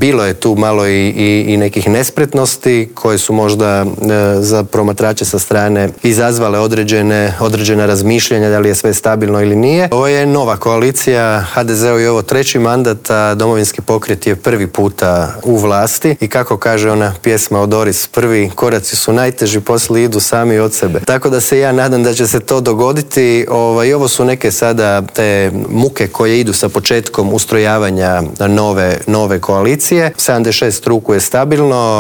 Bilo je tu malo i nekih nespretnosti koje su možda za promatrače sa strane izazvale određena razmišljanja da li je sve stabilno ili nije. Ovo je nova koalicija, HDZ-u je ovo 3. mandat, a Domovinski pokret je prvi puta u vlasti i kako kaže ona pjesma od Doris, prvi koraci su najteži, poslije idu sami od sebe. Tako da se ja nadam da će se to dogoditi. I ovo su neke sada te muke koje idu sa početkom ustrojavanja nove koalicije. 76 ruku je stabilno.